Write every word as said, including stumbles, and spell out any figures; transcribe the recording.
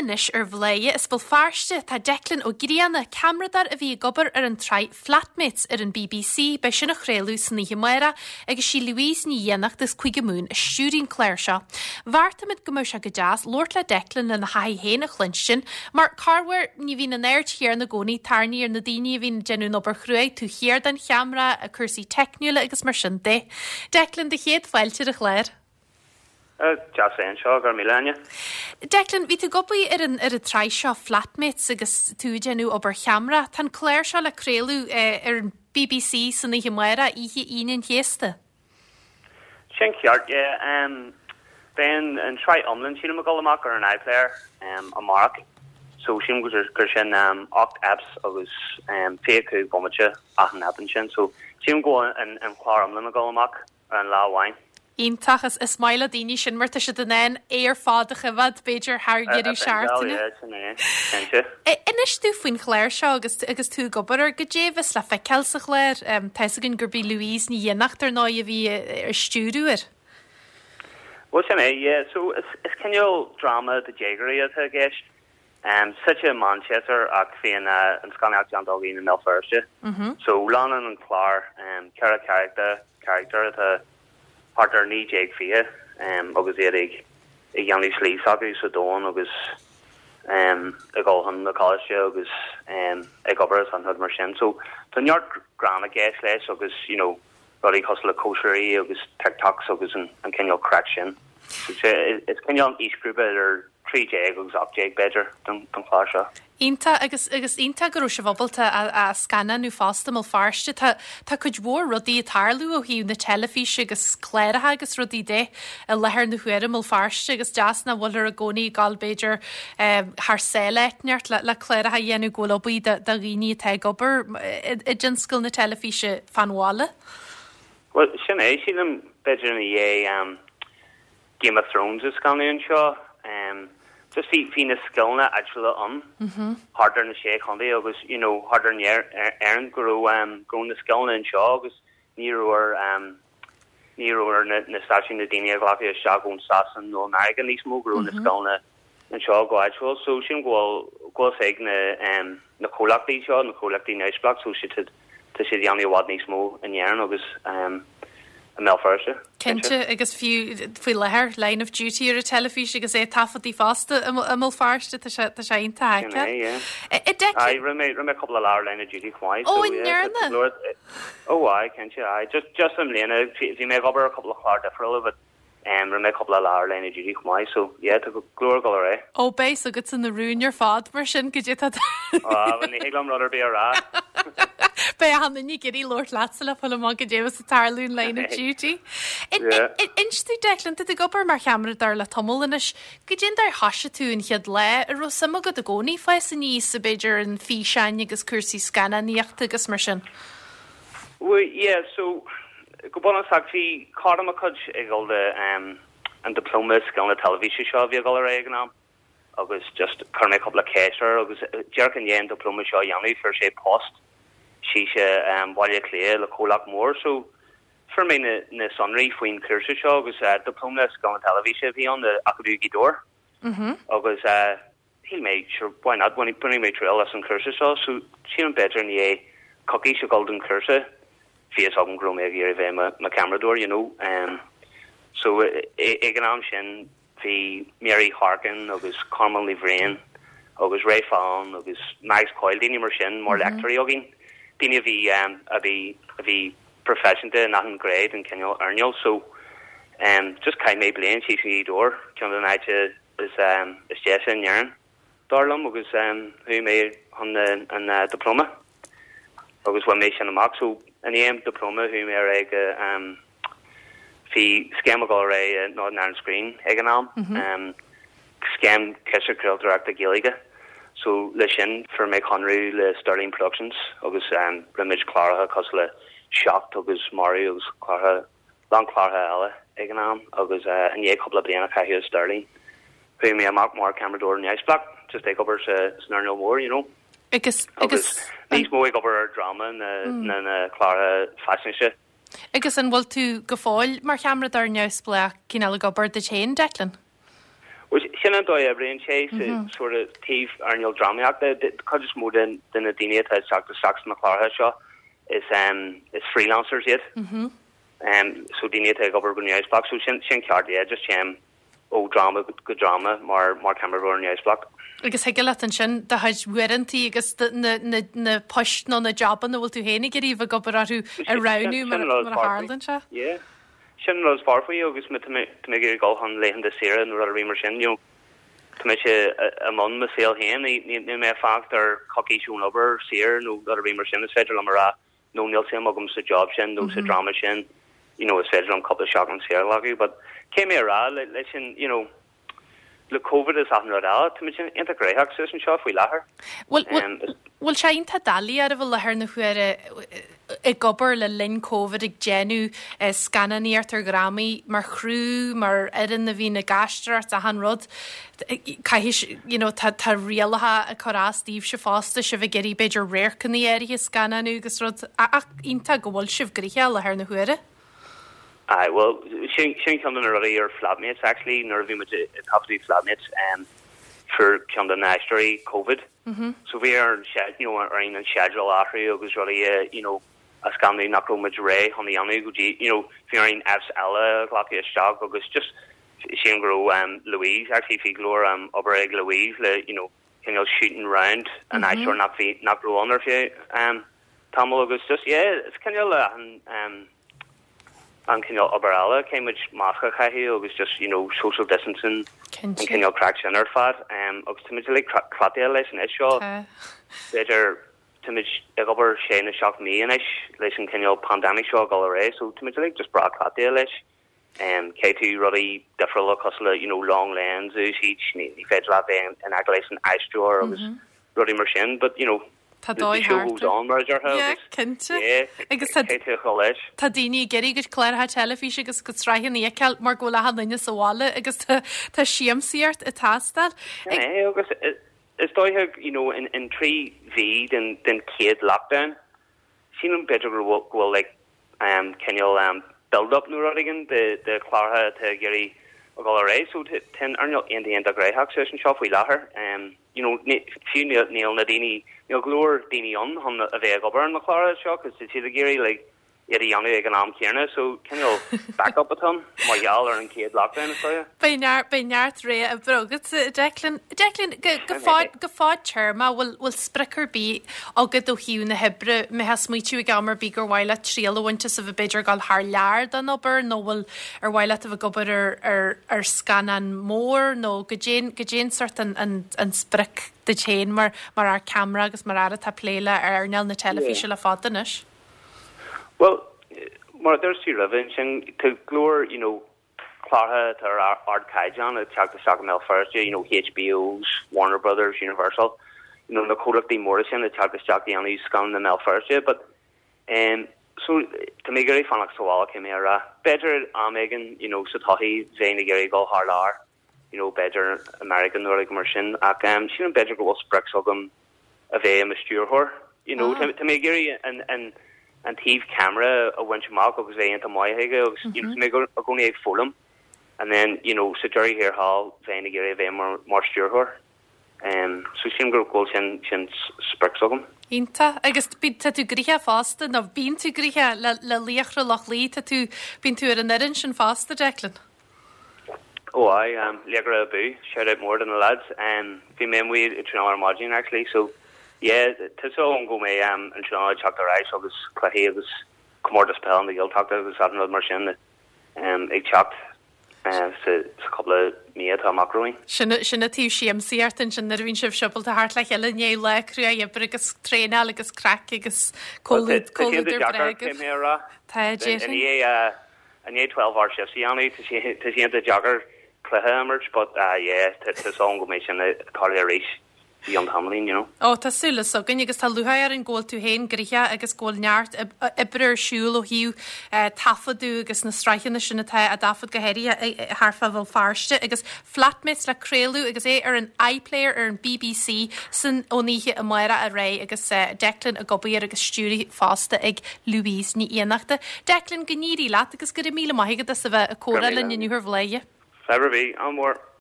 anois ar Bhladhaire as Béal Feirste tá Declan Ó Grianna, ceamaradóir a bhí ag obair ar an tsraith Flatmates ar an BBC, beidh sin á chraoladh san oíche amárach agus sí Louise Ní Fhiannachta as Cúige Mumhan a stiúraíonn an clár seo. Bheartaigh muid go mbeadh sé go deas labhairt le Declan lena thaithí féin a chluinstin, mar corruair ní bhíonn an aird chéanna i gcónaí tarraingthe ar na daoine a bhíonn ag déanamh an obair chruaidh taobh thiar den cheamara, a cúrsaí teicniúla agus mar sin de. Declan do chéad fáilte ar an chlár. Deas anseo gur míle. Declan, bhí tú ag obair ar an ar an tsraith seo Flatmates agus tú ag déanamh obair cheamara. Tá an clár seo le craoladh eh, ar an BBC san oíche amárach oíche Aoine an Chéasta. Sin ceart um, Beidh an tsraith iomlán sílim ag dul amach ar an iPlayer um, amárach. So sin gur gur sin um, ocht eps agus um, fiche cúig bomaite achan ep sin, so sílim go an, an chlár iomlán ag dul amach ar an lá amháin. Iontach is is maith le daoine sin mar tá siad in ann é ar fad a choimhéad b'fhéidir thar dheireadh seachtaine. Inis dúinn faoin chlár seo agus agus tú ag obair air goidé a bheas le feiceáil sa chlár tá a fhios againn gurb í Louise Ní Fhiannachta ar ndóigh a bhí ag stiúradh air. Well sin é yeah, so is, is cineál drama do dhéagóirí atá i gceist. Um, suite i Manchester ach bíonn uh, an scannánaíocht déanta againn i mBéal Feirste. Mm -hmm. So leanann an clár um, ceithre charachtar character atá thart ar naoi déag fiche um, agus iad ag ag déanamh slí s'acu sa domhan agus um, ag dul chun na coláiste agus um, ag obair an rud mar sin. So tá neart greann i gceist leis agus you know, rudaí cosúil le cóisirí agus TikToks agus an, an cineál craic sin. So, is cineál aoisghrúpa ar trí déag agus ocht déag b'fhéidir don don chlár seo. Iontach agus agus iontach go raibh sibh ábalta a, a scannánú fosta i mBéal Feirste tá tá cuid mhór rudaí ag tarlú ó thaobh na teilifíse agus cláracha agus rudaí de i láthair na huaire i mBéal Feirste agus deas nach bhfuil i gcónaí gal b'fhéidir um, thar sáile neart le, le cláracha a dhéanamh go bhfuil obair do dhaoine atá ag obair i dtionscal na teilifíse fan bhaile. Well sin é sílim b'fhéidir ina dhiaidh um, Game of Thrones a scannánú anseo um, just bhí bhí na scileanna áitiúla ann thart ar na sé chontae agus you know thart ar Éirinn go raibh um, go na scileanna anseo agus ní raibh um, ní raibh na, na stáisiúin na daoine a ghlacadh isteach ón Sasain nó America níos mó go raibh na scileanna anseo go háitiúil so sin go bhfuil go ag na um, na comhlachtaí seo na comhlachtaí neamhspleách so siad tá siad déanamh i bhfad níos mó in Éirinn agus um, i mBéal Feirste. Cinnte agus fiú faoi láthair Line of Duty ar an teilifís agus é taifeadta fosta i mBéal Feirste tá sé tá sé iontach. Rinne mé rinne mé cúpla lá Line of Duty chomh maith. Ó ndearna? Ó aye cinnte aye just just an bliana bhí mé ag obair cúpla clár difriúla but um, rinne mé cúpla lá Line of Duty chomh maith so yeah tá go leor go ré. Ó beidh agat na rúin ar fad mar sin go dtí ní hé rud ar bith a rá. Beidh an ní gurí labhairt leatsa le fáil amach goidé a tharla in Line of Duty. Inis dúinn Declan tú ag obair mar cheamaradóir le tamall anois, goidé an dóigh ar thosaigh tú an chéad lá an raibh suim agat i gcónaí fás aníos b'fhéidir an físeáin agus cúrsaí scannánaíochta agus mar sin. Well, yeah, so go bunúsach bhí cara de mo chuid ag dul de um, an diploma scileanna teilifíse seo bhí ag dul ar ag an am agus just chuir mé cúpla ceist air agus díreach i ndiaidh an diploma seo dhéanamh fuair sé post sí sé um, Baile Cliath le comhlacht mór so fuair mé na, na sonraí faoin cúrsa seo agus uh, diploma scileanna teilifíse bhí ann Acadamh Ghaoth Dobhair Mm -hmm. agus uh, shíl mé sure why not bainfidh mé triail as an cúrsa seo so sílim b'fhéidir i ndiaidh coicís a dhul don cúrsa bhí a fhios agam go raibh mé ag iarraidh bheith ma ma ceamaradóir you know um, so ag an am sin bhí Mary Harkin agus Carmel Ní Bhriain agus Ray Fallon agus Max Coyle daoine mar sin mar léachtóirí againn daoine a bhí um, a bhí a bhí proifisiúnta in achan grade an cineál earnáil so um, just chaith mé bliain sí sí dóir ceann den áite is um, is deise in Éirinn dar liom agus um, chuaigh mé chun an uh, diploma agus bhain mé sin amach so an é diploma chuaigh mé ar ag um, bhí scéim ag dul ré Northern Ireland Screen ag an am mm -hmm. um, scéim ciste craoltóireachta Gaeilge so le sin fuair mé conradh le Sterling Productions agus um, rinne muid cláracha cosúil le Seacht agus Marú agus cláracha lán cláracha eile ag an am agus uh, i ndiaidh cúpla bliain a chaitheamh Sterling. Chuaigh mé amach mar ceamaradóir neamhspleách just ag obair sa san earnáil mór you know. Agus agus níos mó ag obair ar drama na mm. na na cláracha faisnéise. Agus an bhfuil tú go fóill mar cheamaradóir neamhspleách cineál ag obair duit féin Declan? Well, sin an dóigh a oibríonn sé sa sort of taobh earnáil drámaíochta. Cuid is mó den de na daoine atá ag teacht isteach sna cláracha seo is um, is freelancers iad. Mm -hmm. Um, so daoine atá ag obair go neamhspleách so sin sin ceart yeah, just téim ó drama go drama mar mar ceamaradóir neamhspleách. Agus thig leat ansin do chuid uaireantaí agus na, na, na poist nó na jabanna bhfuil tú féin ag iarraidh bheith ag obair orthu a roghnú mar mar a tharlaíonn sé? Yeah. Sin rud fearr faoi agus má tá mé ag iarraidh dul chun laethanta saoire nó rud ar bith mar sin you know, tá mé sé i mbun mo saol féin ní mé fanacht ar coicís ón obair saor nó rud ar bith mar sin is féidir liom a rá nó níl suim agam sa job sin nó sa drama sin you know, is féidir liom cúpla seachtain saor a ghlacadh, but cé mé rá le leis sin you know, le COVID is achan rud eile tá sin iontach gnóthach suas anseo faoi láthair. Bhfuil bhfuil sé iontach doiligh ar bhfuil láthair na huaire ag obair le linn COVID ag déanamh scannánaíocht ar dhrámaí mar chriú mar fhoireann a bhíonn ag aisteoireacht achan rud. Caithfidh you know, tá tá rialacha ag cur as daoibhse fosta sibh ag iarraidh b'fhéidir radharcanna áirithe scannánú agus rud ach iontach go bhfuil sibh gnóthach láthair na huaire. Aye, well sin sin ceann de na rudaí ar Flatmates actually nuair a bhí muid ag taifeadadh Flatmates um, fuair ceann de na haisteoirí COVID. Mm -hmm. So bhí ar an you know, ar an schedule athrú agus rudaí uh, you know, a scannán nach raibh muid réidh chun a dhéanamh go dtí you know, bhí ar an Fs eile glacadh isteach agus just sin go raibh um, Louise actually bhí go leor um, obair ag Louise le you know, cineál shooting round an mm -hmm. aisteoir nach bhí nach raibh ann ar feadh um, tamall agus just yeah, it's cineál an um, an cineál obair eile caithfidh muid masc a chaitheamh agus just you know social distancing an cineál craic sin ar fad um, agus tá muid like cleachtaithe leis an seo b'fhéidir tá muid ag obair sé nó seacht mí anois leis an cineál pandemic seo go léir so tá muid like just breá cleachtaithe leis um, caithfidh tú rudaí difriúla cosúil le you know long lens úsáid ní ní féidir leat bheith in aice leis an aisteoir agus mm -hmm. rudaí mar sin but you know Tá dóigh cinnte agus Tá daoine ag iarraidh go cláracha teilifíse agus go sraitheanna a fheiceáil mar go bhfuil achan duine sa bhaile agus tá siamsaíocht ag teastáil. agus is dóiche you know in in trí mhí den den chéad lockdown sílim b'fhéidir go bhfuil like um cineál um build up nó rud éigin de de chláracha atá ag iarraidh a dhul ar aghaidh so tá an earnáil iontach iontach gnóthach anseo faoi láthair um you know fiú níl na daoine níl go leor daoine ann chun a bheith ag obair na cláracha seo cos tá siad ag iarraidh like iad a dhéanamh ag an am céanna so cineál backup atá mar gheall ar an chéad lockdown is dóiche. Beidh neart beidh neart ré oibre agat Declan Declan go go fad go fadtéarma bhfuil bhfuil sprioc ar bith agat ó thaobh na hoibre mé has smaoitiú ag am ar bith gur mhaith leat triail a bhaint as a bheith b'fhéidir dul thar lear don obair nó bhfuil ar mhaith leat a bheith ag obair ar ar ar scannán mór nó cad é cad é an sórt an an an sprioc duit féin mar mar fhear ceamara agus mar fhear atá ag plé le earnáil na teilifíse le fada anois. Well mar dúirt tú roimhe sin tá go leor you know cláracha atá ar ardchaighdeán ag teacht isteach i mBéal Feirste you know HBOs Warner Brothers Universal you know na comhlachtaí móra sin ag teacht isteach dhéanamh scannán i mBéal Feirste but um so tá mé ag iarraidh fanacht sa bhaile cé mé a rá b'fhéidir am éigin you know sa todhchaí bheinn ag iarraidh dul thar lear you know b'fhéidir American nó rud mar sin ach um sílim b'fhéidir go bhfuil sprioc agam a bheith i mo stiúrthóir you know Ah. tá mé ag iarraidh an an an taobh camera a bhaint amach agus bheith iontach maith aige agus you know, mé i gcónaí ag foghlaim and then you know sa deireadh thiar thall bheinn ag iarraidh bheith mar mar stiúrthóir um so sílim go bhfuil sin sin sprioc agam Iontach agus bí tá tú gnóthach fosta nó bíonn tú gnóthach le le Laochra Loch Lao tá tú bíonn tú ar an fhoireann sin fosta Declan. Oh I um Laochra abú shout out mór do na lads um bhí mé amuigh ag traenáil ar maidin actually so yeah tá so an go mé um an traenáil teacht ar ais agus cluichí agus comórtas peile na Gaeltachta agus achan rud mar sin um ag teacht uh, sa sa cúpla mí atá amach romhainn. Sin sin an taobh siamsaíocht ansin nuair a bhíonn sibh siúbalta thart le chéile i ndiaidh lá crua oibre agus traenáil agus craic agus comhluadar breá. mé rá Tá i ndiaidh i ndiaidh twelve hour shifts a dhéanamh tá sé tá sé iontach deacair cluiche a imirt but uh yeah tá tá an go mbeidh sin tarlú arís i an tamaillín you know. Ó tá súil againn agus tá lúcháir orainn go bhfuil tú féin gnóthach agus go bhfuil neart oibre ar siúl ó thaobh taifeadadh agus na sraitheanna sin atá á dtaifead go háirithe thart fá Bhéal Feirste agus Flatmates le craoladh agus é ar an iPlayer ar an BBC san ón oíche amárach ar aghaidh agus Declan ag obair agus stiúrtha fosta ag Louise Ní Fhiannachta. Declan go n-éirí leat agus go raibh míle maith agat as a bheith ag comhrá linn inniu ar Bhladhaire. Fadhb ar bith an mór.